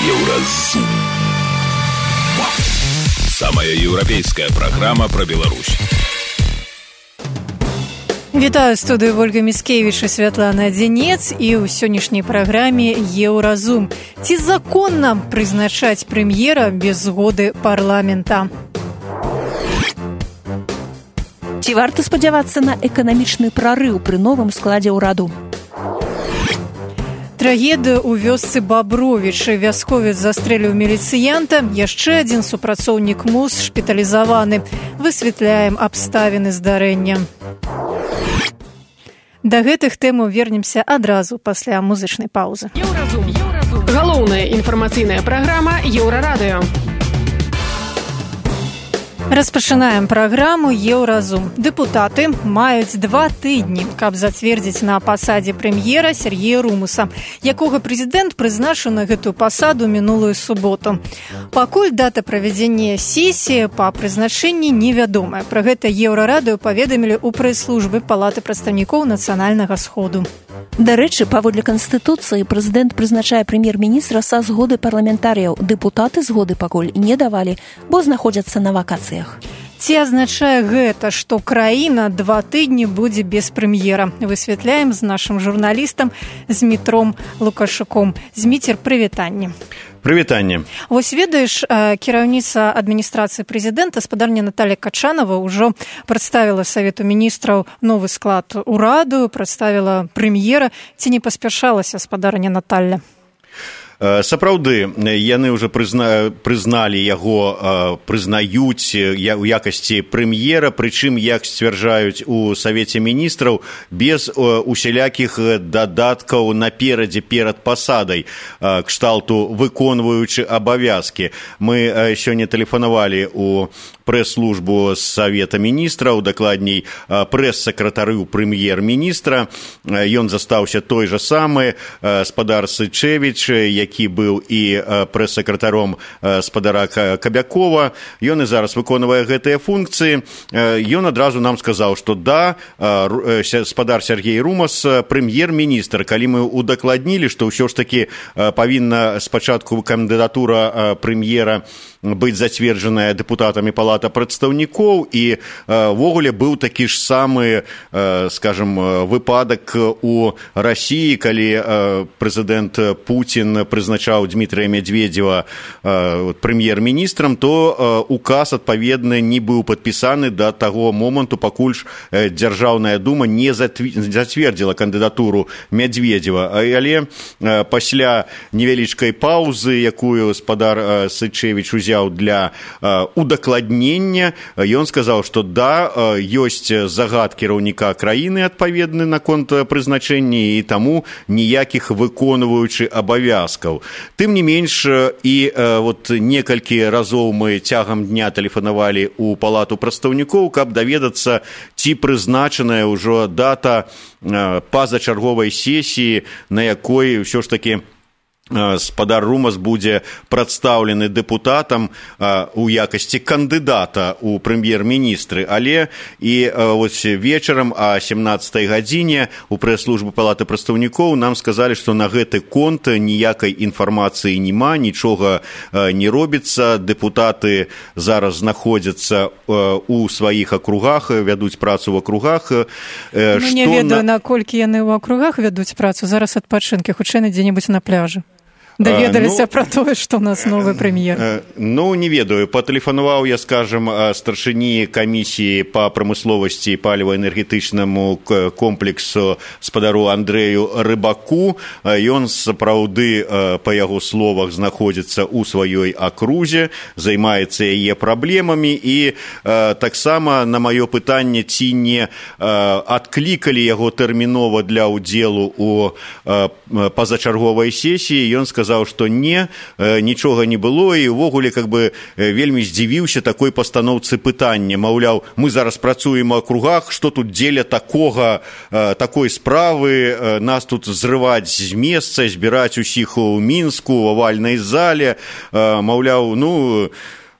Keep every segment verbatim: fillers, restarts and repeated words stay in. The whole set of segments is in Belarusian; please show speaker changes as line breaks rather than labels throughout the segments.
Еўразум. Самая еўрапейская праграма пра Беларусь.
Вітаю студыю Ольга Міцкевіч і Святлана Дзенец і ў сённяшняй праграме Еўразум. Ці законна прызначаць прэм'ера без згоды парламента?
Ці варта спадзявацца на эканамічны прарыў пры новым складзе ўраду?
Трагедыя ў вёсцы Бабровічы. Вясковец застрэліў міліцыянта. Яшчэ адзін супрацоўнік МУЗ шпіталізаваны. Высвятляем абставіны здарэння. Да гэтых тэмаў вернемся адразу пасля музычнай паўзы.
Еўразум. Еўразум. Галоўная інфармацыйная праграма Еўрарадыё. Распачынаем праграму Еўразум. Дэпутаты маюць два тыдні, каб зацвердзіць на пасадзе прэм'ера Сергея Румуса, якога прэзідэнт прызначыў на гэтую пасаду мінулую суботу. Пакуль дата правядзення сесіі па прызначэнні невядомая. Пра гэта Еўрарадыё паведамілі ў прэс-службы Палаты прадстаўнікоў Нацыянальнага сходу.
Дарэчы, паводле Канстытуцыі прэзідэнт прызначае прэм'ер-міністра са згоды парламентарыяў. Дэпутаты згоды пакуль не давалі, бо знаходзяцца на вакацыях.
Ці азначае гэта, што краіна два тыдні будзе без прэм'ера? Высвятляем з нашым журналістам Змітром Лукашуком. Зміцер, прывітанне.
Прывітанне.
Вось ведаеш, кіраўніца адміністрацыі прэзідэнта, спадарня Наталья Качанова, ўжо прадставіла Савету міністраў новы склад ураду, прадставіла прэм'ера. Ці не паспяшалася спадарня Наталья?
Сапраўды, яны ўжо прызна, прызналі яго, прызнаюць у якасці прэм'ера, прычым, як сцвярджаюць у Савеце міністраў, без усялякіх дадаткаў наперадзе перад пасадай, кшталту выконваючы абавязкі. Мы сёння тэлефанавалі у прэс-службу Савета міністраў, дакладней прэс-сакратарю прэм'ер-міністра. Ён застаўся той жа самы, спадар Сычэвіч, які быў і прэс-сакратаром спадара Кабякова. Ён і зараз выконвае гэтыя функцыі. Ён адразу нам сказаў, што да, спадар Сергей Румус прэм'ер-міністр. Калі мы удакладнілі, што ўсё ж такі павінна спачатку кандыдатура прэм'ера быць зацверджаная дэпутатамі Палата прадстаўнікоў, і ввогуле быў такі ж самы, скажем, выпадак у Расіі, калі прэзідэнт Пуцін прызначаў Дмітрия Медведева прэм'ер-міністрам, то указ адпаведны не быў падпісаны да таго моманту, пакуль ж Дзяржаўная дума не зацвердзіла кандыдатуру Медведева. Але пасля невялічкай паўзы, якую спадар Сычэвіч узяў для удакладнення, ён сказаў, што да, ёсць загад кіраўніка краіны адпаведны наконт прызначэння, і таму ніякіх выконваючы абавязкаў. Тым не менш, і вот некалькі разоў мы цягам дня тэлефанавалі ў Палату прадстаўнікоў, каб даведацца, ці прызначаная ўжо дата пазачарговай сесіі, на якой ўсё ж такі спадар Румус будзе прадстаўлены дэпутатам у якасці кандыдата ў прэм'ер-міністры. Але і вось вечарам о семнаццатай гадзіне у прэс-службы Палаты прадстаўнікоў нам сказалі, што на гэты конт ніякай інфармацыі няма, нічога не робіцца. Дэпутаты зараз знаходзяцца у сваіх акругах, вядуць працу ў акругах.
Ну, не ведаю, наколькі яны ў акругах вядуць працу. Зараз адпачынкі, хутчэй дзе-небудзь на пляжы. Даведаліся ну, пра тое, што ў нас новы прэм'ер.
Ну, не ведаю. Патэлефанаваў я, скажам, старшыні камісіі па прамысловасці і паліва-энергетычнаму комплексу спадару Андрэю Рыбаку. Ён сапраўды, па яго словах, знаходзіцца ў сваёй акрузе, займаецца яе праблемамі, і таксама на маё пытанне, ці не адклікалі яго тэрмінова для ўдзелу ў пазачарговай сесіі, ён сказаў, сказаў, што не, нічога не было, і ўвогуле как бы вельмі здзівіўся такой пастаноўцы пытання. Маўляў, мы зараз працуем у акругах, што тут дзеля такога, такой справы, нас тут зрываць з месца, збіраць усіх у Мінску, у авальнай зале, маўляў, ну...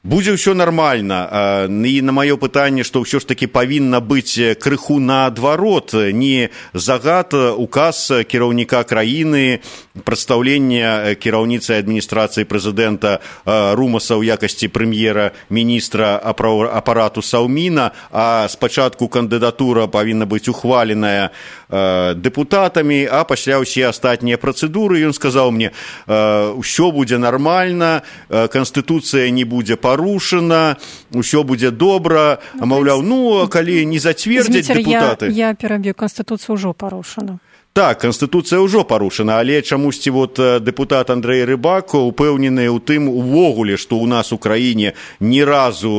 Будзе ўсё нармальна. І на маё пытанне, што ўсё ж такі павінна быць крыху наадварот, не загад, указ кіраўніка краіны прадстаўлення кіраўніцы адміністрацыі прэзідэнта Румаса ў якасці прэм'ера-міністра апарату Саўміна, а спачатку кандыдатура павінна быць ухваленая дэпутатамі, а пасля ўсе астатнія працэдуры. Ён сказаў мне, ўсё будзе нармальна, канстытуцыя не будзе парушана, ўсё будзе добра, а маўляў, ну, калі не зацвердзяць дэпутаты...
Я, я пераб'ю, канстытуцыя ўжо парушана.
Так, канстытуцыя ўжо парушана, але чамусьці вот дэпутат Андрэй Рыбак упэўнены ў тым увогуле, што ў нас у краіне ні разу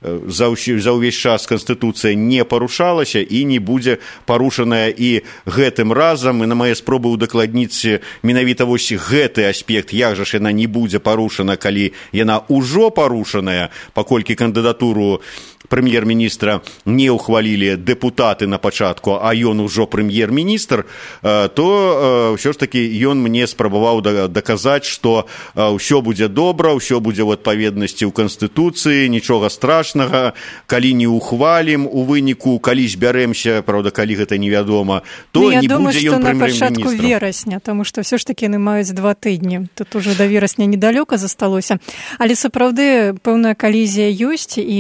э, за, за ўвесь час канстытуцыя не парушалася і не будзе парушаная і гэтым разам. І на мае спробы удакладніць менавіта вось гэты аспект, як жа ж яна не будзе парушана, калі яна ўжо парушаная, паколькі кандыдатуру прэм'ер-міністра не ўхвалілі дэпутаты на пачатку, а ён ужо прэм'ер-міністр, то ўсё ж такі ён мне спрабаваў даказаць, што ўсё будзе добра, ўсё будзе ў адпаведнасці ў Канстытуцыі, нічога страшнага, калі не ўхвалім у выніку, калі збярэмся, правда, калі гэта невядома, то
ну,
не будзе ён прэм'ер-міністрам.
Я думаю, што на пачатку верасня, таму што ўсё ж такі яны маюць два тыдні. Тут уже да верасня недалёка засталося. Але сапраўды пэўная калізія ёсць, і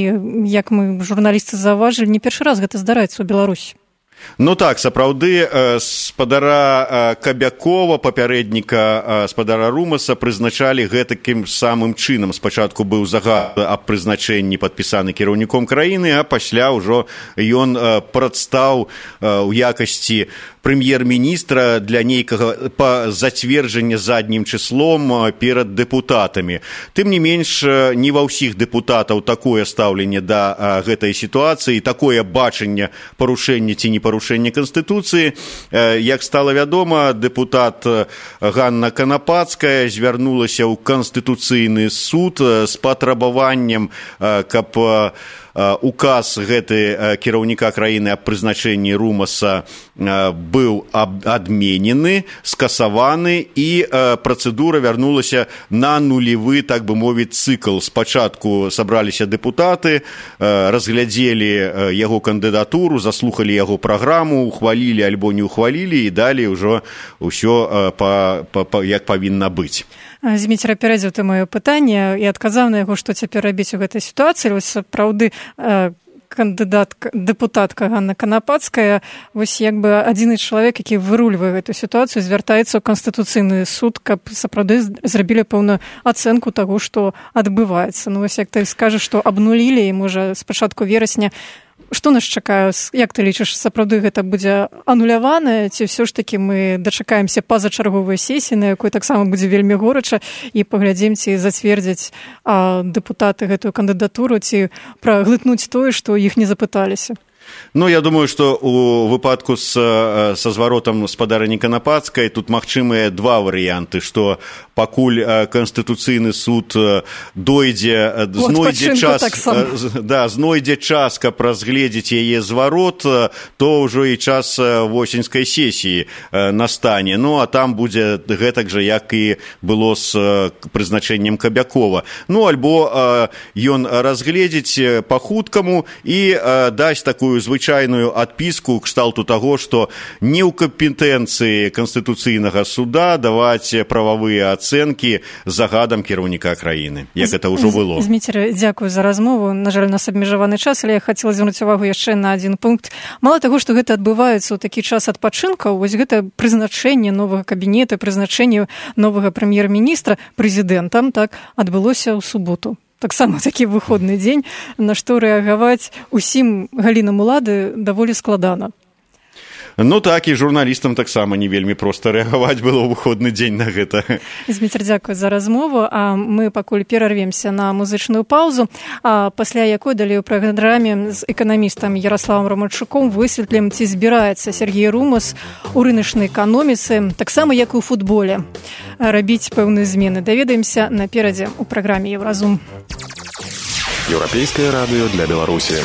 як мы журналісты заўважылі, не першы раз гэта здараецца ў Беларусі.
Ну так, сапраўды, спадара Кабякова, папярэдніка спадара Румаса, прызначалі гэтакім самым чынам. Спачатку быў загад аб прызначэнні падпісаны кіраўніком краіны, а пасля ўжо ён прадстаў у якасці прэм'ер-міністра для нейкага па зацверджання заднім чыслом перад дэпутатамі. Тым не менш, не ва ўсіх дэпутатаў такое стаўленне да гэтай сітуацыі, такое бачанне парушэння ці не парушэння Канстытуцыі. Як стала вядома, дэпутат Ганна Канапацкая звярнулася ў Канстытуцыйны суд з патрабаваннем, каб указ гэты кіраўніка краіны аб прызначэнні Румаса быў адменены, скасаваны, і працэдура вярнулася на нулевы, так бы мовіць, цыкл. Спачатку сабраліся дэпутаты, разглядзелі яго кандыдатуру, заслухалі яго праграму, ухвалілі альбо не ухвалілі, і далей ужо ўсё па, па, па, як павінна быць.
Зміцер апярэдзіў ты маё пытанне і адказаў на яго, што цяпер рабіць у гэтай сітуацыі. Вось сапраўды кандыдат, дэпутатка Ганна Канапацкая, вось як бы адзіны чалавек, які вырульвае гэту сітуацыю, звяртаецца ў Канстытуцыйны суд, каб сапраўды зрабілі пэўную ацэнку таго, што адбываецца. Ну вось як ты скажаш, што абнулілі, і можа з пачатку верасня. Што нас чакае? Як ты лічыш, сапраўды гэта будзе анулявана, ці ўсё ж такі мы дачакаемся пазачарговай сесіі, на якой таксама будзе вельмі горача, і паглядзім, ці зацвердзяць а, дэпутаты гэтую кандыдатуру, ці праглытнуць тое, што іх не запыталіся?
Ну, я думаю, што у выпадку з, са зваротам спадарыні Канапацкай тут магчымыя два варыянты, што пакуль Канстытуцыйны суд дойдзе, знойдзе час, так да, знойдзе час, каб разгледзець яе зварот, то ўжо і час восеньскай сесіі настане. Ну, а там будзе гэтак жа, як і было з прызначэннем Кабякова. Ну, альбо ён разгледзець па-хуткаму і дасць такую звычайную адпіску кшталту таго, што не ў кампетэнцыі Канстытуцыйнага суда даваць прававыя ацэнкі загадам кіраўніка краіны, як гэта ўжо было.
Зміцер, дзякую за размову. На жаль, у нас абмежаваны час, але я хацела звярнуць увагу яшчэ на адзін пункт. Мала таго, што гэта адбываецца ў такі час адпачынкаў, вось гэта прызначэнне новага кабінета, прызначэнне новага прэм'ер-міністра прэзідэнтам, так, адбылося ў суботу. Таксама такі выходны дзень, на што рэагаваць усім галінам улады даволі складана.
Ну так, і журналістам таксама не вельмі проста рэагаваць было ў выходны дзень на гэта.
Зміцер, дзякую за размову. А мы пакуль перарвемся на музычную паўзу, а пасля якой далей у праграме з эканамістам Ярославам Романчуком высветлім, ці збіраецца Сергей Румас у рыначнай эканоміцы, таксама як і ў футболе, рабіць пэўныя змены. Даведаемся наперадзе у праграме Еўразум.
Еўрапейскае радыё для Беларусі.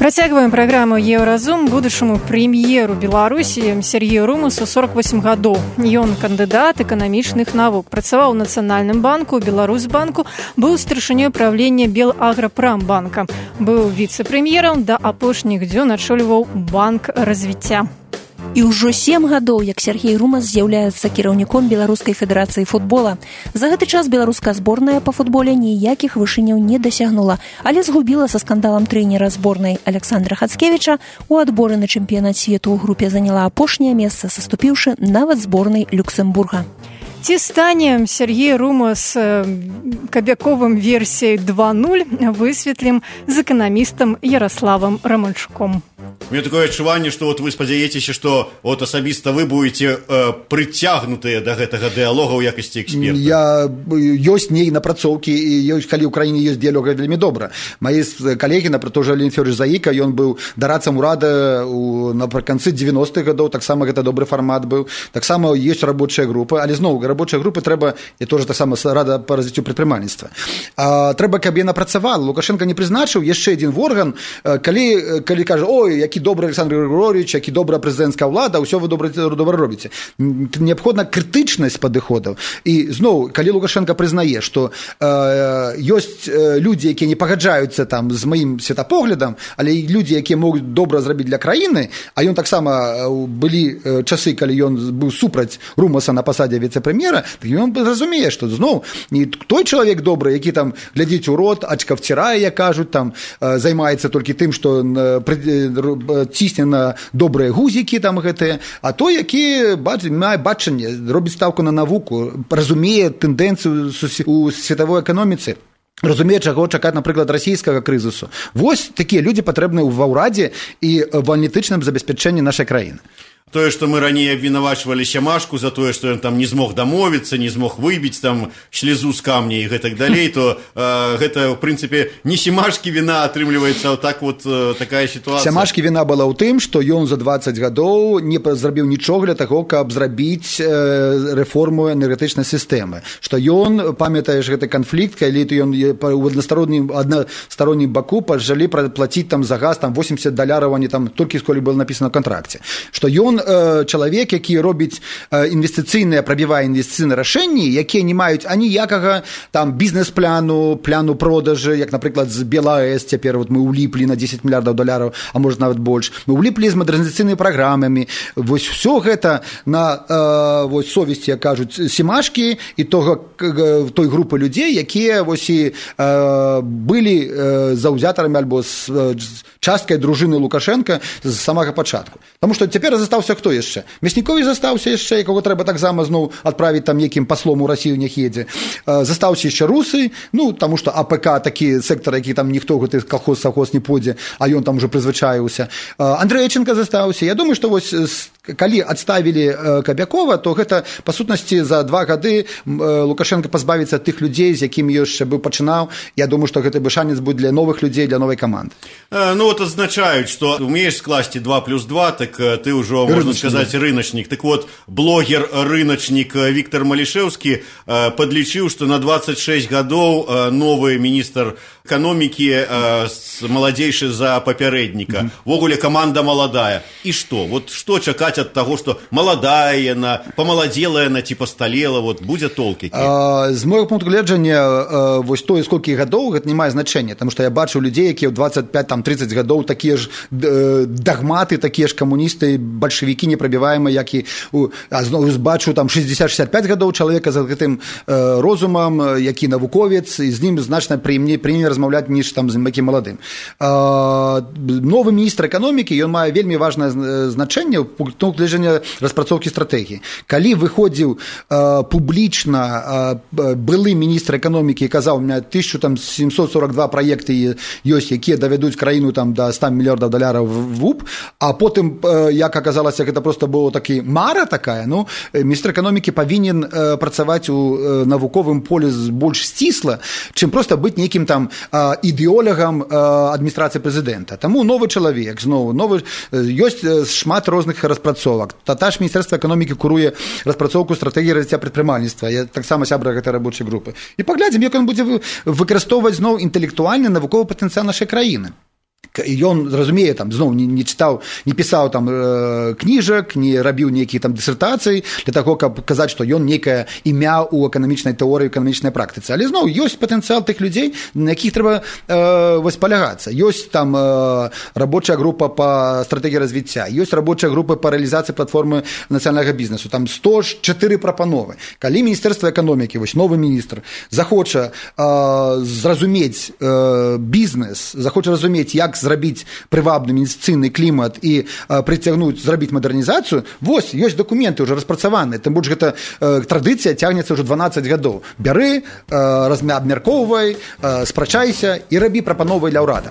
Працягваем праграму Еўразум. Будучаму прэм'еру Беларусі Сергею Румасу сорок восемь гадоў. Ён кандыдат эканамічных навук. Працаваў у Нацыянальным банку, Беларусьбанку, быў старшынёй правлення Белаграпрамбанка. Быў віцэ-прэм'ерам, да апошніх дзён ачольваў банк развіцця.
І ўжо сем гадоў, як Сергей Румас з'яўляецца кіраўніком Беларускай федэрацыі футбола. За гэты час беларуская зборная па футболе ніякіх вышыняў не дасягнула, але згубіла са скандалам трэнера зборнай Александра Хацкевіча. У адборы на чэмпіянат свету ў групе заняла апошняе месца, саступіўшы нават зборнай Люксембурга.
Ці стане Сергей Румас кабяковым версіяй два нуль, высветлім з эканамістам Ярославам Романчуком.
У меня такое адчуванне, што вот вы спадзяецеся, што вот асабіста вы будете э, прыцягнутыя да гэтага дыялога ў якасці эксперта.
Я ёсць ней напрацоўкі, і ёсць, калі ў краіне ёсць дыялог, вельмі добра. Маі калегі, напрыклад, тоже Леонід Фёдорович Заіка, ён быў дарадцам урада ў напрыканцы дзевяностых гадоў, таксама гэта добры фармат быў. Таксама ёсць рабочыя групы, але зноў рабочыя групы трэба, я тоже таксама рада па развіццю прадпрымальніцтва. А, трэба, каб яна працавала. Лукашенко не прызначыў яшчэ адзін орган, калі, калі кажа, ой, які добры Александр Григорьевич, які добрая прэзідэнцкая ўлада, ўсё вы добра, добра робіце. Неабходна крытычнасць падыходаў. І зноў, калі Лукашенко прызнае, што э, ёсць людзі, якія не пагаджаюцца там з маім светапоглядам, але і людзі, якія могуць добра зрабіць для краіны, а ён таксама былі часы, калі ён быў супраць Румаса на пасадзе віцэ-прэм'ера, так ён разумее, што зноў не той чалавек добры, які там глядзіць у рот, ачка вцірае, як кажуць, там займаецца толькі тым, што цісне на добрыя гузікі там гэтыя, а той, які мае бачанне, робіць стаўку на навуку, разумее тэндэнцыю у светавой эканоміцы, разумее, чаго чакаць, напрыклад, расійскага крызісу. Вось такія людзі патрэбны ва ўрадзе і в аналітычным забеспячэнні нашай краіны.
Тое, што мы раней абвінавачвалі Сямашку за тое, што ён там не змог дамовіцца, не змог выбіць там слезу з камня і гэтак далей, то э, гэта, в прынцыпе, не Сямашкі віна, атрымліваецца так вот э, такая сітуацыя.
Сямашкі віна была ў тым, што ён за дваццаць гадоў не зрабіў нічога для таго, каб зрабіць э, рэформу энергетычнай сістэмы. Што ён, памятаеш гэты канфлікт, калі ён у аднастароннім, аднастароннім баку пажалі плаціць там за газ там восемьдесят даляраў, а не там толькі сколі было напісана ў кантракце. Што ён чалавек, які робіць інвестыцыйныя, прабівае інвестыцыйныя рашэнні, якія не маюць аніякага там бізнес-пляну, пляну продажы, як, напрыклад, з БелАЭС цяпер вот мы ўліплі на дзесяць мільярдаў даляраў, а можа нават больш. Мы ўліплі з мадэрнізацыйнымі праграмамі. Вось ўсё гэта на э, вось совесці, як кажуць, Сямашкі і того, той групы людзей, якія вось і э, былі э, заўзятарамі альбо з э, часткай дружыны Лукашенка з самага пачатку. Таму што цяпер застаўся хто яшчэ? Мяснікович застаўся яшчэ, якога трэба таксама зноў адправіць там некім паслом у Расію не едзе. Застаўся яшчэ русы, ну, таму што АПК такі сектар, які там ніхто гэты калхоз-савхоз не пойдзе, а ён там уже прызвычаіўся. Андрэйченка застаўся. Я думаю, што вось калі адставілі Кабякова, то гэта, па сутнасці, за два гады Лукашенко пазбавіцца тых людзей, з якімі яшчэ быў пачынаў. Я думаю, што гэты бы шанец будзе для новых людзей, для новай каманды.
Ну, вот азначаюць, што умееш скласці два плюс два, так ты ўжо, можна сказаць, рыначнік. Так вот, блогер-рыначнік Віктор Малішэўскі падлічыў, што на двадцать шесть гадоў новы міністр эканомікі маладзейшы за папярэдніка. Вогуле каманда маладая. І што? Вот што чакаць ад таго, што маладая яна, памаладзела яна ці пасталела, вот будзе толк які?
З мойго пункту гледжання, вось тое, сколькі гадоў, гэта не мае значэння, таму што я бачу людзей, якія ў двадцать пять тридцать гадоў такія ж дагматы, такія ж камуністы, бальшавікі непрабіваемыя, як і а зноў бачу там шестьдесят шестьдесят пять гадоў чалавека за гэтым э, розумам, які навуковец, і з ім значна прыемней прыемней размаўляць, ніж там з якім маладым. Э, новы міністр эканомікі, ён мае вельмі важнае значэнне ў пункту гледжання распрацоўкі стратэгіі. Калі выходзіў э, публічна э, былы міністр эканомікі і казаў, у меня тысяча семьсот сорок два праекты ёсць, якія давядуць краіну там да ста мільярдаў даляраў в УП, а потым, э, як аказалася, гэта просто было такі мара такая, ну, міністр эканомікі павінен э, працаваць у э, навуковым полі больш сцісла, чым проста быць нейкім там э, ідэолягам э, адміністрацыі прэзідэнта. Таму новы чалавек, зноў, новы, э, ёсць э, шмат розных распрацовак. Тата ж міністэрства эканомікі куруе распрацоўку стратэгіі развіцця прадпрымальніцтва. Я таксама сябра гэтай рабочай групы. І паглядзім, як ён будзе выкарыстоўваць зноў інтэлектуальны навуковы патэнцыял нашай краіны. ён разумее там зноў не, не чытаў не пісаў там э, кніжак, не рабіў нейкіх там дысертацый для таго, каб казаць, што ён нейкае імя ў эканамічнай тэорыі, эканамічнай практыцы, але зноў ёсць патэнцыял тых людзей, на якіх трэба э, вось палягацца. Ёсць там э, рабочая група па стратэгіі развіцця, ёсць рабочая група па рэалізацыі платформы нацыянальнага бізнесу, там сто чатыры прапановы. Калі міністэрства эканомікі, вось новы міністр захоча э, зразумець э, бізнес, захоча разумець, як зрабіць прывабны інвестыцыйны клімат і э, прыцягнуць, зрабіць мадэрнізацыю, вось, ёсць дакументы ўжо распрацаваныя, тым больш гэта э, традыцыя цягнецца ўжо дванаццаць гадоў. Бяры, э, абмяркоўвай, э, спрачайся і рабі прапановы для ўрада.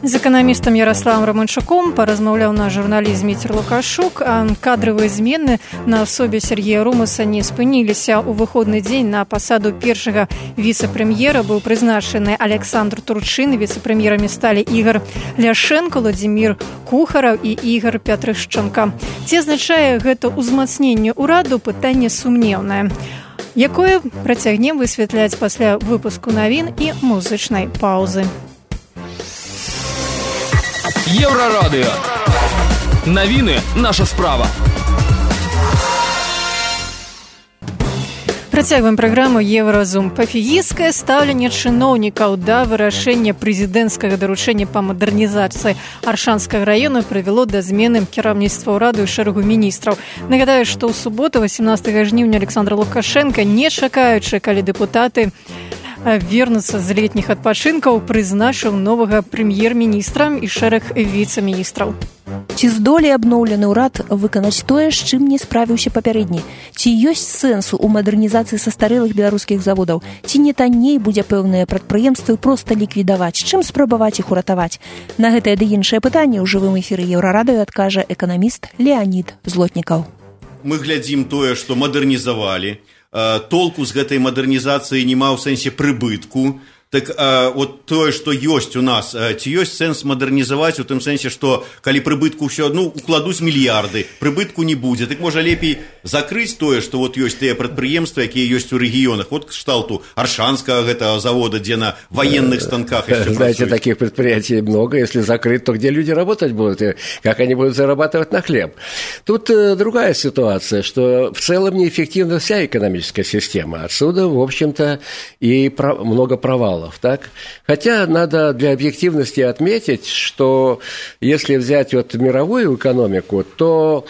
З эканамістам Ярославам Романчуком паразмаўляў наш журналіст Міцер Лукашук, а кадравыя змены на асобе Сергея Румаса не спыніліся. У выходны дзень на пасаду першага віцэ-прэм'ера быў прызначаны Александр Турчын, віцэ-прэм'ерамі сталі Ігор Ляшенко, Владзімір Кухараў і Ігор Пятрышчанка. Ці азначае гэта ўзмацненне ўраду, пытанне сумнеўнае, якое працягнем высвятляць пасля выпуску навін і музычнай паўзы.
Еврорадио. Новины – наша справа.
Працягваем праграму «Евразум». Пафігістскае стаўленне чыноўнікаў да вырашэння прэзідэнцкага даручэння па мадэрнізацыі Аршанскага раёна прывяло да змены кіраўніцтва ўраду і шэрагу міністраў. Нагадаю, што ў суботу, васемнаццатага жніўня, Александр Лукашенко, не чакаючы, калі дэпутаты вернуцца з летніх адпачынкаў, прызначыў новага прэм'ер-міністра і шэраг віцэ-міністраў.
Ці здолее абноўлены ўрад выканаць тое, з чым не справіўся папярэдні? Ці ёсць сэнсу ў мадэрнізацыі састарэлых беларускіх заводаў? Ці не танней будзе пэўныя прадпрыемствы проста ліквідаваць? Чым спрабаваць іх уратаваць? На гэтае ды іншае пытанне ў жывым эфіры Еўрарадыё адкажа эканаміст Леанід Злотнікаў.
Мы глядзім тое, што мадэрнізавалі, толку з гэтай мадэрнізацыі нема ў сэнсе прыбытку. Так а, вот тое, што ёсць у нас, ці ёсць сэнс мадэрнізаваць у тым сэнсе, што калі прыбытку ўсё адну укладуць мільярды, прыбытку не будзе, так можа лепей закрыць тое, што вот ёсць тыя прадпрыемствы, якія ёсць у рэгіёнах. Вот кшталту Аршанскага гэтага завода, где на военных станках еще
знаете, працуют. Таких предприятий много. Если закрыть, то где люди работать будут? И как они будут зарабатывать на хлеб? Тут э, другая ситуация, что в целом неэффективна вся экономическая система. Отсюда, в общем-то, и про- много провалов. Так? Хотя надо для объективности отметить, что если взять вот мировую экономику, то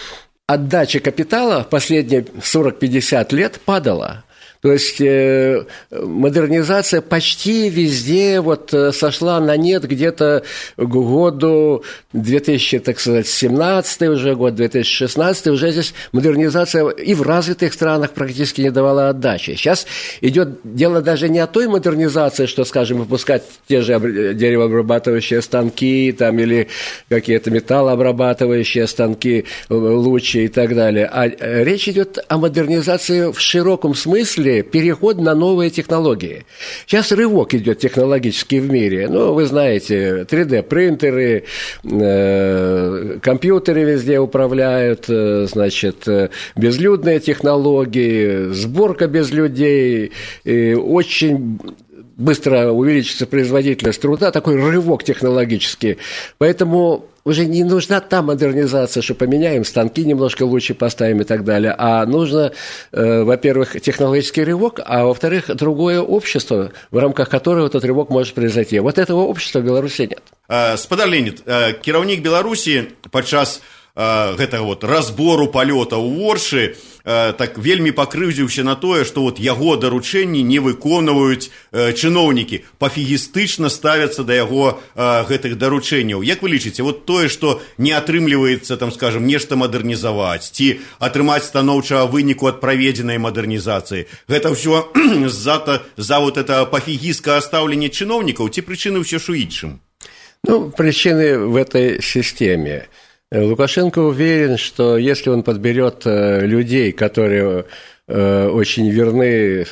отдача капитала в последние сорок-пятьдесят лет падала. То есть э, модернизация почти везде вот сошла на нет где-то к году две тысячи семнадцатый уже год, две тысячи шестнадцатый уже здесь модернизация и в развитых странах практически не давала отдачи. Сейчас идет дело даже не о той модернизации, что, скажем, выпускать те же деревообрабатывающие станки там, или какие-то металлообрабатывающие станки лучше и так далее, а речь идет о модернизации в широком смысле, переход на новые технологии. Сейчас рывок идет технологический в мире. Ну, вы знаете, три дэ-принтеры, э, компьютеры везде управляют, э, значит, э, безлюдные технологии, сборка без людей, э, очень быстро увеличится производительность труда, такой рывок технологический. Поэтому уже не нужна та модернизация, что поменяем станки, немножко лучше поставим и так далее, а нужно, э, во-первых, технологический рывок, а во-вторых, другое общество, в рамках которого этот рывок может произойти. Вот этого общества в Беларуси нет.
Спадар Леонид, кіраўнік Беларусі падчас гэтага вот разбору палёта ў Воршы так вельмі пакрыўдзіўся на тое, што вот яго даручэнні не выконваюць чыноўнікі, пафігістычна ставяцца да яго гэтых даручэнняў. Як вы лічыце, вот тое, што не атрымліваецца, там, скажем, нешта мадэрнізаваць ці атрымаць станоўчага выніку ад праведзенай мадэрнізацыі, гэта ўсё з-за за вот это пафігісткае стаўленне чыноўнікаў ці прычыны ўсё ж у іншым?
Ну, причины в этой системе. Лукашенко уверен, что если он подберет людей, которые очень верны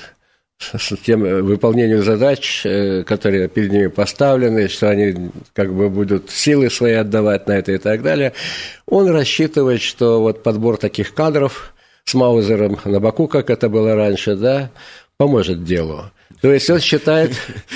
тем выполнению задач, которые перед ними поставлены, что они как бы будут силы свои отдавать на это и так далее, он рассчитывает, что вот подбор таких кадров с Маузером на боку, как это было раньше, да, поможет делу. То есть он считает...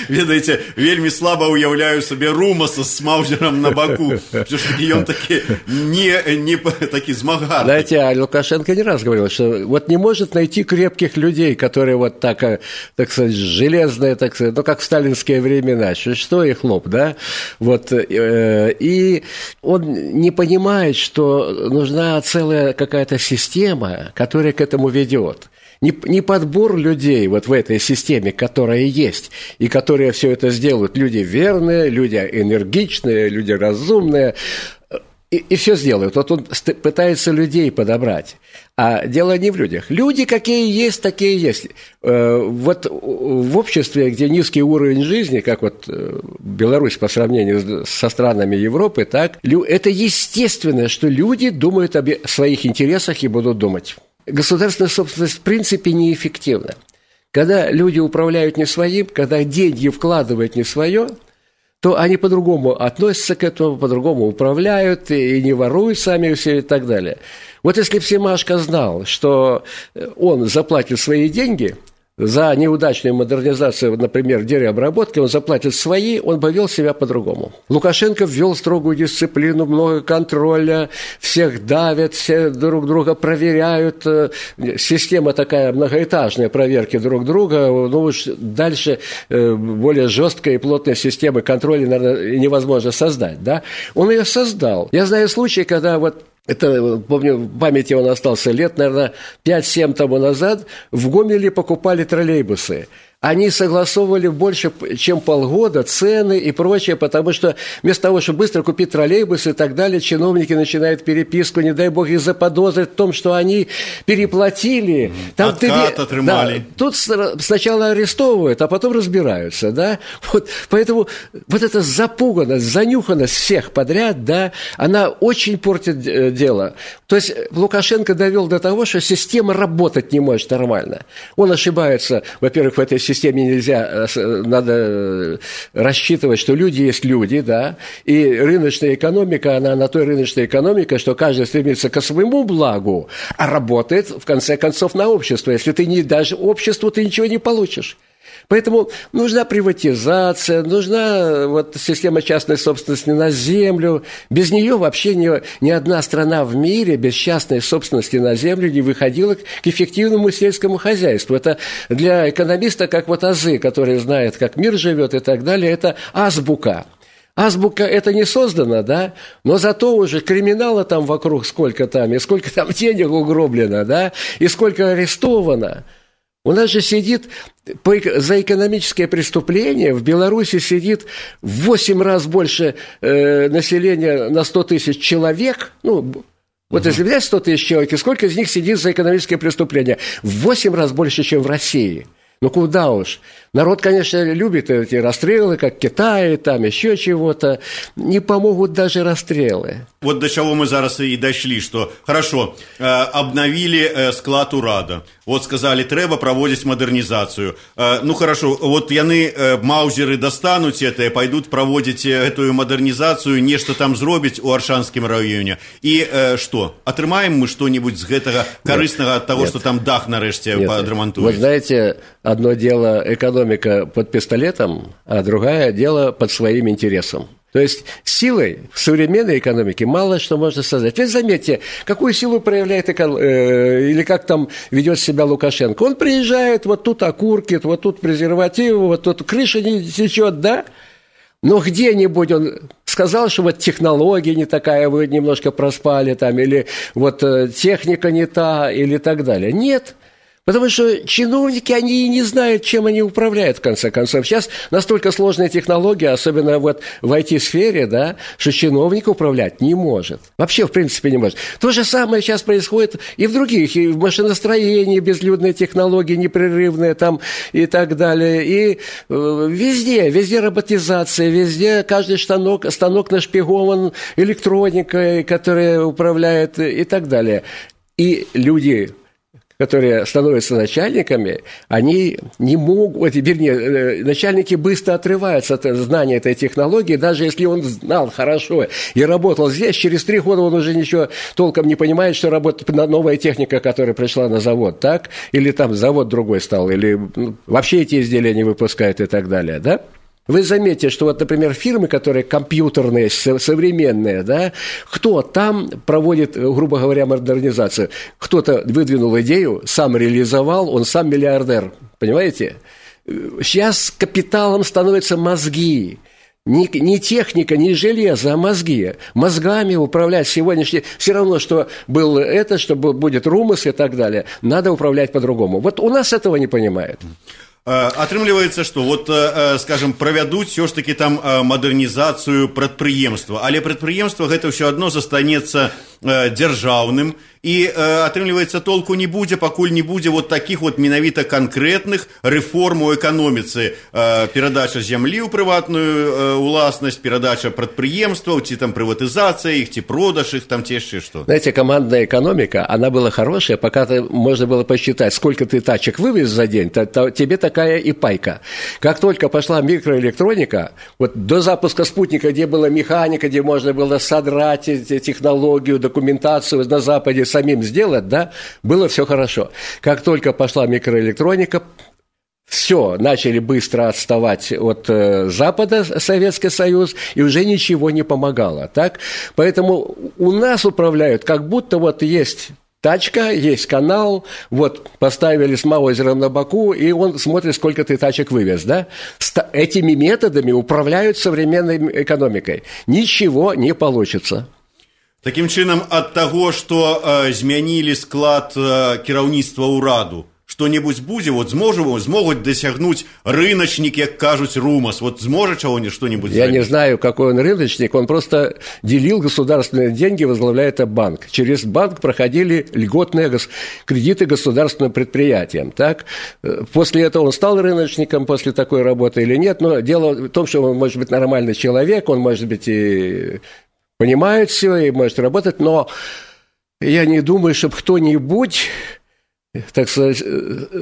Ведаеце, вельмі слаба уяўляю сабе Румаса с Маузером на боку. Все-таки он таки не, не таки змагар.
Знаете, а Лукашенко не раз говорил, что вот не может найти крепких людей, которые вот так, так сказать, железные, так сказать, ну, как в сталинские времена, что их лоб, да? Вот, и он не понимает, что нужна целая какая-то система, которая к этому ведет. Не, не подбор людей вот в этой системе, которая есть, и которые все это сделают. Люди верные, люди энергичные, люди разумные, и, и все сделают. Вот он пытается людей подобрать. А дело не в людях. Люди какие есть, такие есть. Вот в обществе, где низкий уровень жизни, как вот Беларусь по сравнению со странами Европы, так, это естественно, что люди думают о своих интересах и будут думать. Государственная собственность в принципе неэффективна. Когда люди управляют не своим, когда деньги вкладывают не свое, то они по-другому относятся к этому, по-другому управляют и не воруют сами все и так далее. Вот если бы Семашко знал, что он заплатит свои деньги за неудачную модернизацию, например, деревообработки, он заплатит свои, он бы вел себя по-другому. Лукашенко ввел строгую дисциплину, много контроля, всех давят, все друг друга проверяют. Система такая многоэтажная, проверки друг друга. Ну уж дальше более жесткой и плотной системы контроля, наверное, невозможно создать. Да? Он ее создал. Я знаю случаи, когда вот это, помню, в памяти он остался лет, наверное, пять-семь тому назад, в Гомеле покупали троллейбусы. Они согласовывали больше, чем полгода, цены и прочее, потому что вместо того, чтобы быстро купить троллейбус и так далее, чиновники начинают переписку, не дай бог их заподозрить в том, что они переплатили. Там
Откат ты... отрымали.
Да, тут сначала арестовывают, а потом разбираются, да. Вот, поэтому вот эта запуганность, занюханность всех подряд, да, она очень портит дело. То есть Лукашенко довел до того, что система работать не может нормально. Он ошибается, во-первых, в этой системе нельзя, надо рассчитывать, что люди есть люди, да, и рыночная экономика, она на той рыночной экономике, что каждый стремится к своему благу, а работает, в конце концов, на общество. Если ты не дашь обществу, ты ничего не получишь. Поэтому нужна приватизация, нужна вот система частной собственности на землю. Без нее вообще ни, ни одна страна в мире без частной собственности на землю не выходила к эффективному сельскому хозяйству. Это для экономиста как вот азы, который знает, как мир живет и так далее, это азбука. Азбука это не создано, да, но зато уже криминала там вокруг сколько там, и сколько там денег угроблено, да, и сколько арестовано. У нас же сидит за экономическое преступление в Беларуси сидит в восемь раз больше э, населения на сто тысяч человек. Ну, вот uh-huh. если взять сто тысяч человек, и сколько из них сидит за экономическое преступление? В восемь раз больше, чем в России. Ну, куда уж. Народ, конечно, любит эти расстрелы, как в Китае, там еще чего-то. Не помогут даже расстрелы.
Вот до чего мы зараз и дошли, что, хорошо, э, обновили э, склад урада. Вот сказали, треба проводить модернизацию. Э, ну, хорошо, вот яны, э, маузеры достанут это и пойдут проводить эту модернизацию, нечто там зробить у Аршанском районе. И э, что? Отрымаем мы что-нибудь с этого корыстного от того, нет. что там дах нареште подремонтуют?
Вы знаете, одно дело экономика под пистолетом, а другое дело под своим интересом. То есть силой в современной экономике мало что можно создать. Ведь заметьте, какую силу проявляет экон... э, или как там ведет себя Лукашенко. Он приезжает, вот тут окурки, вот тут презервативы, вот тут крыша не течет, да? Но где-нибудь он сказал, что вот технология не такая, вы немножко проспали там, или вот техника не та, или так далее. Нет. Потому что чиновники, они и не знают, чем они управляют, в конце концов. Сейчас настолько сложная технология, особенно вот в ай ти-сфере, да, что чиновник управлять не может. Вообще, в принципе, не может. То же самое сейчас происходит и в других, и в машиностроении безлюдные технологии, непрерывные там и так далее. И э, везде, везде роботизация, везде каждый станок, станок нашпигован электроникой, которая управляет и так далее. И люди... которые становятся начальниками, они не могут, вернее, начальники быстро отрываются от знания этой технологии, даже если он знал хорошо и работал здесь, через три года он уже ничего толком не понимает, что работает новая техника, которая пришла на завод, так? Или там завод другой стал, или вообще эти изделия не выпускают и так далее, да? Вы заметите, что вот, например, фирмы, которые компьютерные, современные, да, кто там проводит, грубо говоря, модернизацию? Кто-то выдвинул идею, сам реализовал, он сам миллиардер, понимаете? Сейчас капиталом становятся мозги. Не, не техника, не железо, а мозги. Мозгами управлять сегодняшний... Все равно, что было это, что будет Румас и так далее. Надо управлять по-другому. Вот у нас этого не понимают.
Атрымліваецца, што вот, скажем, правядуць ўсё ж такі там мадэрнізацыю прадпрыемства, але прадпрыемства гэта ўсё адно застанецца дзяржаўным, і атрымліваецца толку не будзе, пакуль не будзе вот такіх вот менавіта канкрэтных рэформ у эканоміцы, перадача зямлі ў прыватную уласнасць, перадача прадпрыемстваў, ці там прыватызацыя іх, ці продаж іх, там ці яшчэ што.
Знаете, командная экономика, она была хорошая, пока ты, можно было посчитать, сколько ты тачек вывез за день, то, то тебе такая и пайка. Как только пошла микроэлектроника, вот до запуска спутника, где была механика, где можно было содрать технологию, документацию на Западе самим сделать, да, было все хорошо. Как только пошла микроэлектроника, все, начали быстро отставать от э, Запада, Советский Союз, и уже ничего не помогало, так? Поэтому у нас управляют, как будто вот есть тачка, есть канал, вот поставили с маузером на боку, и он смотрит, сколько ты тачек вывез, да? Ст- этими методами управляют современной экономикой. Ничего не получится.
Таким чынам, ад таго, што э, змянілі склад э, кіраўніцтва ўраду, што-небудзь будзе, вот зможем, змогуць дасягнуць рыначнік, як кажуць, Румас, вот зможа чего-нибудь что-нибудь
Я
сделать?
не знаю, какой он рыночник, он просто делил государственные деньги, возглавляя это банк. Через банк проходили льготные гос... кредиты государственным предприятиям, так? После этого он стал рыночником после такой работы или нет, но дело в том, что он может быть нормальный человек, он может быть и понимает все, и может работать, но я не думаю, чтобы кто-нибудь, так сказать,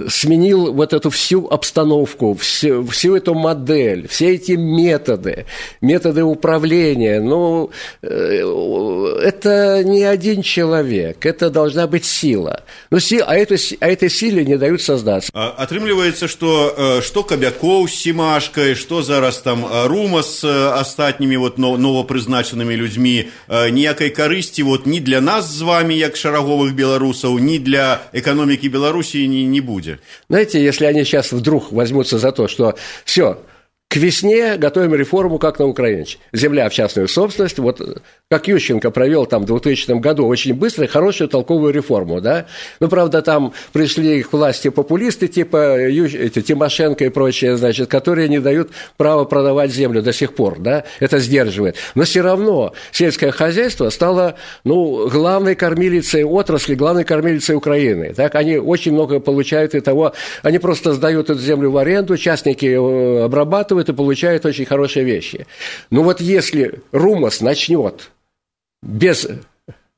сменил вот эту всю обстановку, всю, всю эту модель, все эти методы, методы управления. Ну, это не один человек, это должна быть сила. Ну, сила, а, эту, а этой силе не дают создаться.
Атрымліваецца, што што Кабякоў з Сімашкай, што зараз там Румас з астатнімі вот новапрызначанымі людзьмі, ніякай карысці вот ні для нас з вами, як шараговых беларусаў, ні для эканомікі Белоруссии не, не будет.
Знаете, если они сейчас вдруг возьмутся за то, что все, к весне готовим реформу, как на Украине. Земля в частную собственность. Вот как Ющенко провел там в двухтысячном году очень быстро хорошую толковую реформу, да. Ну, правда, там пришли к власти популисты типа эти, Тимошенко и прочее, значит, которые не дают права продавать землю до сих пор, да. Это сдерживает. Но все равно сельское хозяйство стало, ну, главной кормилицей отрасли, главной кормилицей Украины. Так, они очень много получают и того, они просто сдают эту землю в аренду, частники обрабатывают и получают очень хорошие вещи. Но вот если Румас начнет без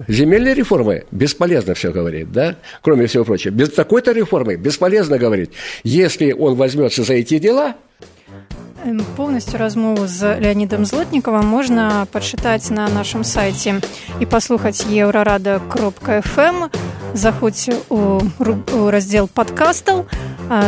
земельной реформы, бесполезно все говорить, да, кроме всего прочего, без такой-то реформы бесполезно говорить. Если он возьмется за эти дела...
Полностью размову з Леонидом Злотниковым можно почитать на нашем сайте и послухать еврорада кропка эф эм. Заходзьце у, у раздзел падкастаў.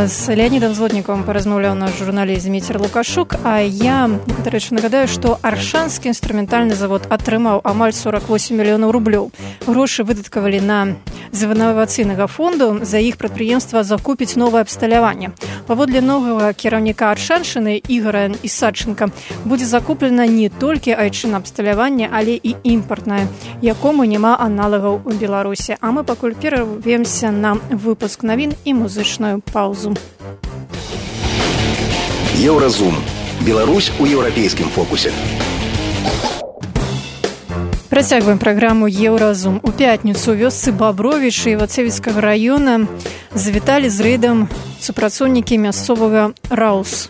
З Леонидом Злотниковым паразмаўляў наш журналіст Зміцер Лукашук. А я, дарэчы, нагадаю, што Аршанскі інструментальны завод атрымаў амаль сорок восемь мільёнаў рублёў. Грошы выдаткавалі на з інавацыйнага фонду, за іх прадпрыемства закупіць новае абсталяванне. Паводле новага кіраўніка Аршаншчыны Ігора Ісадченка будзе закуплена не толькі айчынна абсталяванне, але і імпартнае, якому няма аналагаў у Беларусі. А мы пакуль перарвемся на выпуск навін і музычную паузу.
Еўразум. Беларусь у еўрапейскім фокусе.
Працягваем праграму «Еўразум». У пятніцу ў вёсцы Бабровічы Івацевіцкага раёна завіталі з рэйдам супрацоўнікі мясцовага РАУС.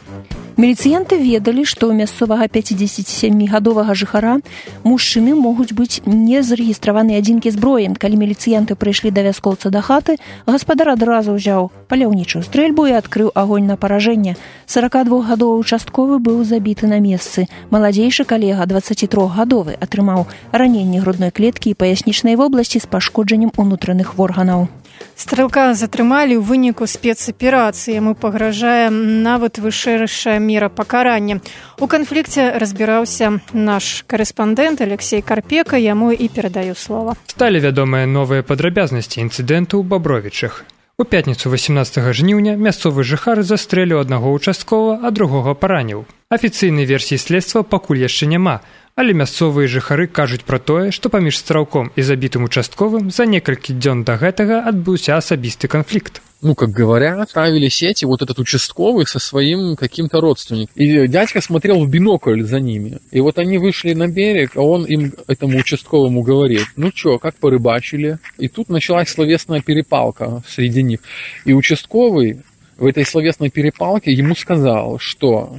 Міліцыянты ведалі, што ў мясцовага пяцідзесяцісямігадовага жыхара мужчыны могуць быць незарэгістраваныя адзінкі зброі. Калі міліцыянты прыйшлі да вяскоўца да хаты, гаспадар адразу ўзяў паляўнічую стрэльбу і адкрыў агонь на паражэнне. сорокадвухгадовы участковы быў забіты на месцы. Маладзейшы калега, дваццацітрохгадовы, атрымаў раненне грудной клеткі і паяснічнай вобласці з пашкоджаннем унутраных органаў.
Стрэлка затрымалі ў выніку спецаперацыі. Яму пагражае нават вышэйшая мера пакарання. У канфлікце разбіраўся наш карэспандэнт Алексей Карпека, яму і перадаю слова.
Сталі вядомыя новыя падрабязнасці інцыдэнту ў Бабровічах. У пятніцу восемнадцатага жніўня мясцовы жыхар застрэліў аднаго участковага, а другога параніў. Афіцыйнай версіі следства пакуль яшчэ няма, але мясцовыя жыхары кажуць пра тое, што паміж стралком і забітым участковым за некалькі дзён да гэтага адбыўся асабісты канфликт.
Ну, как говорят, отправили сети вот этот участковый со своим каким-то родственником. И дядька смотрел в бинокль за ними. И вот они вышли на берег, а он им, этому участковому, говорит: ну чё, как порыбачили? И тут началась словесная перепалка среди них. И участковый в этой словесной перепалке ему сказал, что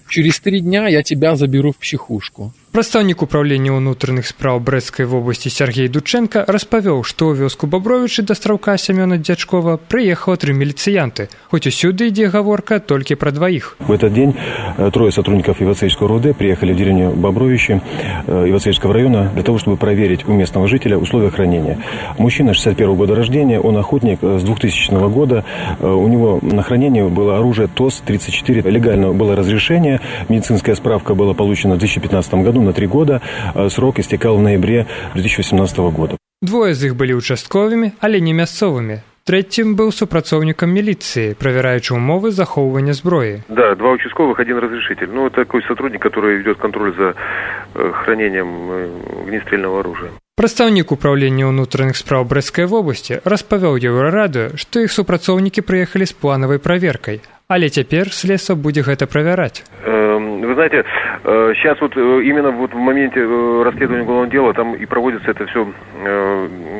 через три дня я тебя заберу в психушку.
Прадстаўнік управлення ўнутраных спраў Брэсцкай вобласці Сергей Дученко распавёў, што ў вёску Бабровічы да стралка Семёна Дзячкова прыехала тры міліцыянты, хоць усюды ідзе гаворка толькі пра дваіх.
В этот день трое сотрудников Ивацеевского РУВД приехали в деревню Бобровичи Ивацеевского района для того, чтобы проверить у местного жителя условия хранения. Мужчина шестьдесят первого года рождения, он охотник с двухтысячного года, у него на хранении было оружие ТОС тридцать четыре, легально было разрешение, медицинская справка была получена в две тысячи пятнадцатом году на три года, срок истекал в ноябре две тысячи восемнадцатого года.
Двое з іх былі участковымі, але не мясцовымі. Трэцім быў супрацоўнікам міліцыі, правераючы умовы захоўвання зброі.
Да, два участковых, один разрешитель. Ну, это такой сотрудник, который ведет контроль за хранением огнестрельного оружия.
Прадстаўнік управлення ўнутраных спраў Брэсцкай вобласці распавёў Еўрарадыё, што іх супрацоўнікі прыехалі з планавай праверкай, але цяпер следства будзе гэта правяраць.
Вы знаете, сейчас вот именно вот в моменте расследования уголовного дела там и проводится это все,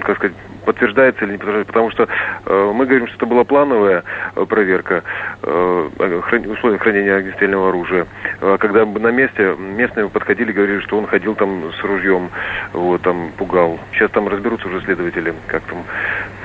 как сказать, подтверждается или не подтверждается, потому что мы говорим, что это была плановая проверка условий хранения огнестрельного оружия. Когда на месте местные подходили, говорили, что он ходил там с ружьем, вот, там пугал. Сейчас там разберутся уже следователи, как там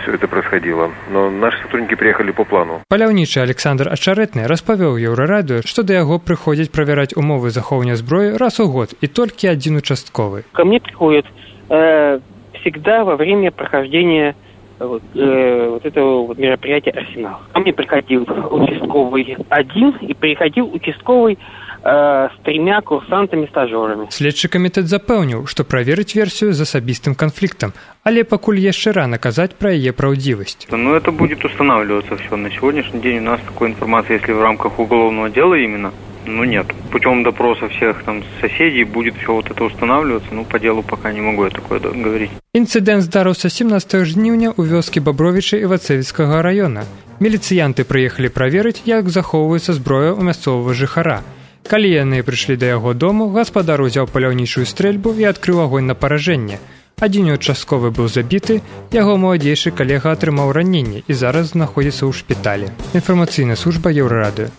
все это происходило. Но наши сотрудники приехали по плану.
Паляўнічы Александр Ачаретны распавёў Еўрарадыё, што да яго прыходзяць правераць умовы захоўвання зброі раз у год, и только один участковый.
Ко мне приходят э, всегда во время прохождения вот, э, вот этого вот мероприятия «Арсенал». Ко мне приходил участковый один и приходил участковый э, с тремя курсантами-стажерами.
Следчы камітэт запэўніў, што праверыць версію з асабістым канфліктам, але пакуль яшчэ рана казаць пра яе праўдзівасць.
Ну, это будет устанавливаться все. На сегодняшний день у нас такой информации, если в рамках уголовного дела именно, ну нет. Путем допроса всех там соседей будет все вот это устанавливаться, ну по делу пока не могу я такое говорить.
Інцыдэнт здарыўся семнадцатага жніўня ў вёскі Бабровічы Івацэвіцкага района. Міліцыянты прыехалі праверыць, як захоўваецца зброя ў мясцовага жыхара. Калі яны прыйшлі да яго дому, гаспадар узяў паляўнічую стрэльбу і адкрыў агонь на паражэнне. Адзін участковы быў забіты, яго маладзейшы калега атрымаў раненне і зараз знаходзіцца ў шпіталі. Інфармацыйная служба Еўрарадыё.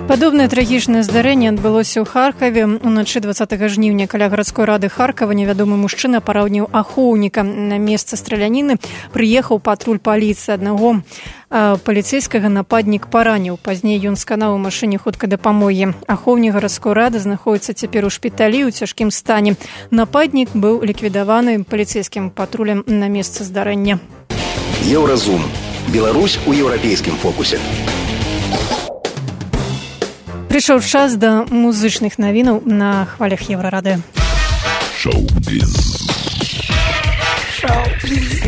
Падобнае трагічнае здарэнне адбылося ў Харкаве. Уначы двадцатага жніўня каля гарадской рады Харкава невядомы мужчына параўніў ахоўніка. На месца страляніны прыехаў патруль паліцыі. Аднаго э, паліцэйскага нападнік параніў. Пазней ён сканаў у машыне хуткай дапамогі. Ахоўнік гарадской рады знаходіцца цяпер у шпіталі ў цяжкім стане. Нападнік быў ліквідаваны паліцэйскім патрулем на месцы здарэння.
Еўразум. Беларусь у еўрапейскім фокусе.
Прыйшоў час да музычных навінаў на хвалях Еўрарадыё.
Шоу-біз. Шоу-біз.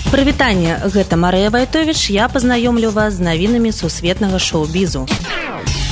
Прывітанне, гэта Марыя Вайтовіч, я пазнаёмлю вас з навінамі сусветнага шоу-бізу.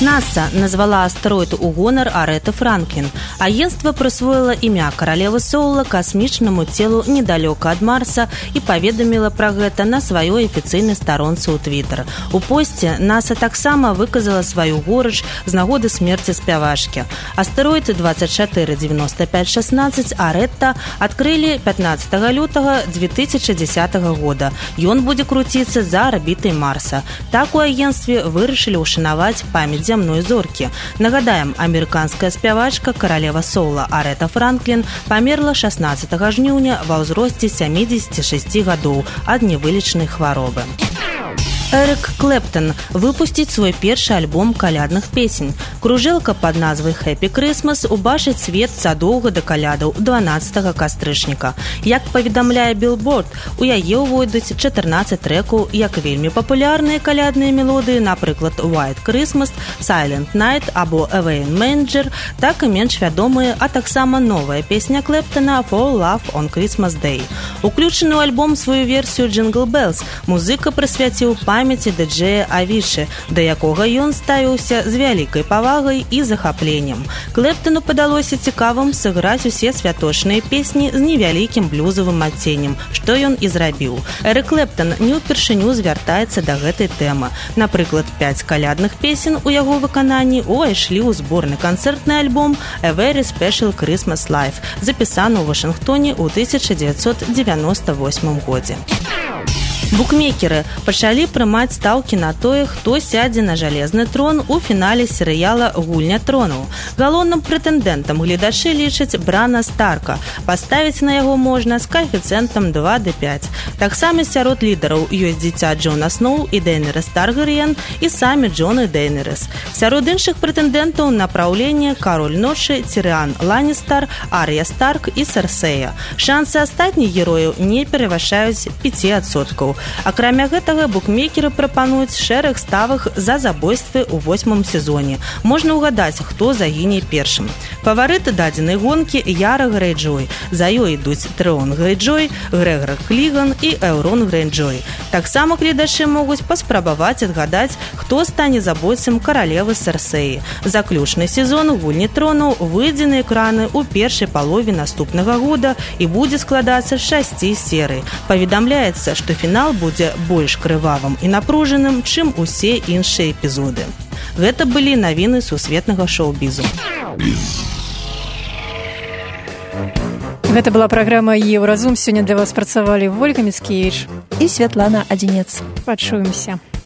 НАСА назвала астэроид у гонар Арэты Франклін. Агенцтва прысвоіла імя каралевы Соула касмічнаму целу недалёка ад Марса і паведаміла пра гэта на сваёй афіцыйнай старонцы ў Твіттер. У посце НАСА таксама выказала сваю горыч з нагоды смерці спявачкі. Астэроід двадцать четыре девяносто пять шестнадцать Арэта адкрылі пятнадцатага лютага две тысячи десятого года. Ён будзе круціцца за арбітай Марса. Так у агенцтве вырашылі ўшанаваць памяць зямной зоркі. Нагадаем, амерыканская спявачка каралева соула Арэта Франклін памерла шестнадцатага жніўня ва ўзросце сямідзесяці шасці гадоў ад невылечнай хваробы. Эрик Клэптон выпусціць свой першы альбом калядных песень. Кружэлка пад назвай «Happy Christmas» убачыць свет задоўга да калядаў дванаццатага кастрычніка. Як паведамляе Billboard, у яе ўвойдуць чатырнаццаць трэкаў, як вельмі папулярныя калядныя мелодыі, напрыклад, «White Christmas», «Silent Night» або «Away in Manger», так і менш вядомыя, а таксама новая песня Клэптона «For Love on Christmas Day». Уключаны ў альбом сваю версію «Jingle Bells» музыка прысвяціў памяці ді-джея Авішы, да якога ён ставіўся з вялікай павагай і захапленнем. Клэптону падалося цікавым сыграць усе святочныя песні з невялікім блюзавым адценнем, што ён і зрабіў. Эрик Клэптон не ўпершыню звяртаецца да гэтай тэмы. Напрыклад, пяць калядных песен у яго выкананні увайшлі ў зборны канцэртны альбом «A Very Special Christmas Live», запісаны ў Вашынгтоне ў тысяча дзевяцьсот дзевяноста восьмым годзе. Букмекеры пачалі прымаць стаўкі на тое, хто сядзе на жалезны трон у фінале серыяла «Гульня тронаў». Галоўным прэтэндэнтам гледачы лічаць Брана Старка. Паставіць на яго можна з каэфіцыентам два да пяць. Таксама сярод лідараў ёсць дзіця Джона Сноу і Дейнерыс Таргарыен і самі Джон і Дейнерыс. Сярод іншых прэтэндэнтаў на праўленне Кароль ночы, Тирыан Ланністар, Ар'я Старк і Серсея. Шансы астатніх герояў не перавышаюць пяць адсоткаў. Акрамя гэтага, букмекеры прапануюць шэраг ставак за забойствы ў восьмым сезоне. Можна ўгадаць, хто загіне першым. Фаварыты дадзенай гонкі Яра Грэйджой. За ёй ідуць Трэон Грэйджой, Грэгор Кліган і Эўрон Грэйджой. Таксама гледачы могуць паспрабаваць адгадаць, хто стане забойцам каралевы Серсеі. Заключны сезон «Гульні тронаў» выйдзе на экраны ў першай палове наступнага года і будзе складацца з шасці серый. Паведамляецца, што фінал будзе больш крывавым і напружаным, чым усе іншыя эпізоды. Гэта былі навіны сусветнага шоу-бізу.
Гэта была праграма «Еўразум». Сёння для вас працавалі Вольга Міцкевіч
і Святлана Адзінец.
Пачуемся.